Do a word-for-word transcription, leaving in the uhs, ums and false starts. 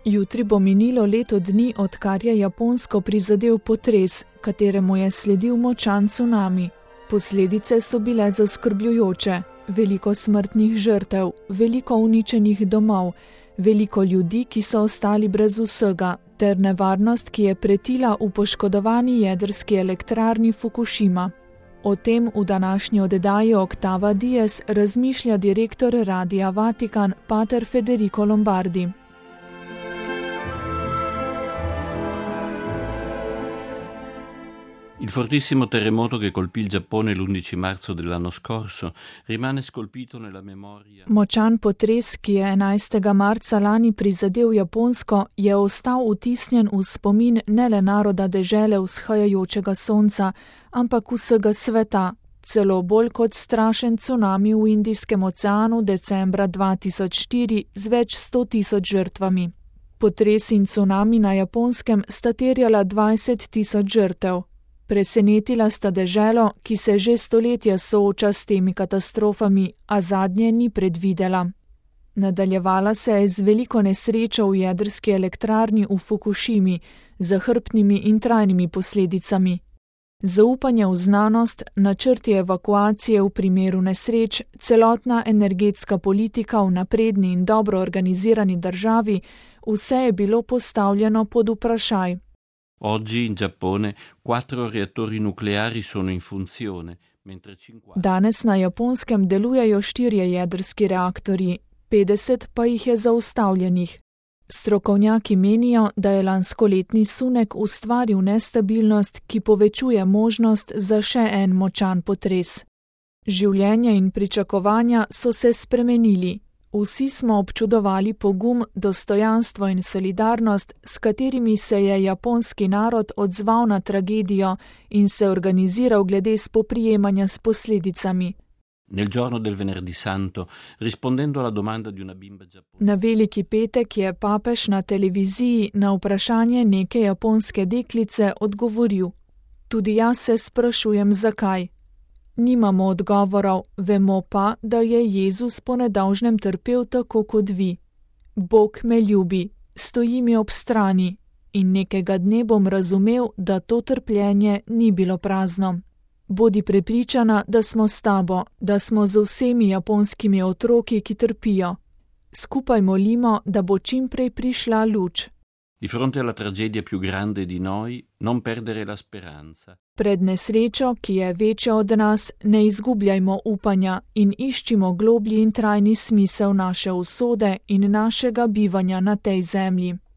Jutri bo minilo leto dni, odkar je Japonsko prizadel potres, kateremu je sledil močan cunami. Posledice so bile zaskrbljujoče, veliko smrtnih žrtev, veliko uničenih domov, veliko ljudi, ki so ostali brez vsega, ter nevarnost, ki je pretila v poškodovani jedrski elektrarni Fukushima. O tem v današnji oddaji Octava Dies razmišlja direktor Radia Vatikan, pater Federico Lombardi. Il fortissimo terremoto che colpì il Giappone l'undici marzo dell'anno scorso rimane scolpito nella memoria. Močan potres, ki je enajstega marca lani prizadel Japonsko, je ostal vtisnjen v spomin ne le naroda dežele vzhajajočega sonca, ampak vsega sveta, celo bolj kot strašen cunami v Indijskem oceanu decembra dva tisoč štiri z več sto tisoč žrtvami. Potres in cunami na Japonskem sta terjala dvajset tisoč žrtev. Presenetila sta deželo, ki se že stoletja sooča s temi katastrofami, a zadnje ni predvidela. Nadaljevala se je z veliko nesrečo v jedrski elektrarni v Fukushimi, z zahrbtnimi in trajnimi posledicami. Zaupanje v znanost, načrti evakuacije v primeru nesreč, celotna energetska politika v napredni in dobro organizirani državi, vse je bilo postavljeno pod vprašaj. Oggi in Giappone quattro reattori nucleari sono in funzione, mentre cinquanta. Danes na Japonskem delujejo štirje jedrski reaktorji, petdeset pa jih je zaustavljenih. Strokovnjaki menijo, da je lanskoletni sunek ustvaril nestabilnost, ki povečuje možnost za še en močan potres. Življenje in pričakovanja so se spremenili. Vsi smo občudovali pogum, dostojanstvo in solidarnost, s katerimi se je japonski narod odzval na tragedijo in se organiziral glede spoprijemanja s posledicami. Nel giorno del venerdì santo, rispondendo alla domanda di una bimba giapponese. Na veliki petek je papež na televiziji na vprašanje neke japonske deklice odgovoril: Tudi jaz se sprašujem, zakaj. Nimamo odgovorov, vemo pa, da je Jezus po nedolžnem trpel tako kot vi. Bog me ljubi, stoji mi ob strani in nekega dne bom razumel, da to trpljenje ni bilo prazno. Bodi prepričana, da smo s tabo, da smo z vsemi japonskimi otroki, ki trpijo. Skupaj molimo, da bo čim prej prišla luč. Di fronte alla tragedia più grande di noi, non perdere la speranza. Pred nesrečo, ki je večja od nas, ne izgubljajmo upanja in iščimo globlji in trajni smisel naše usode in našega bivanja na tej zemlji.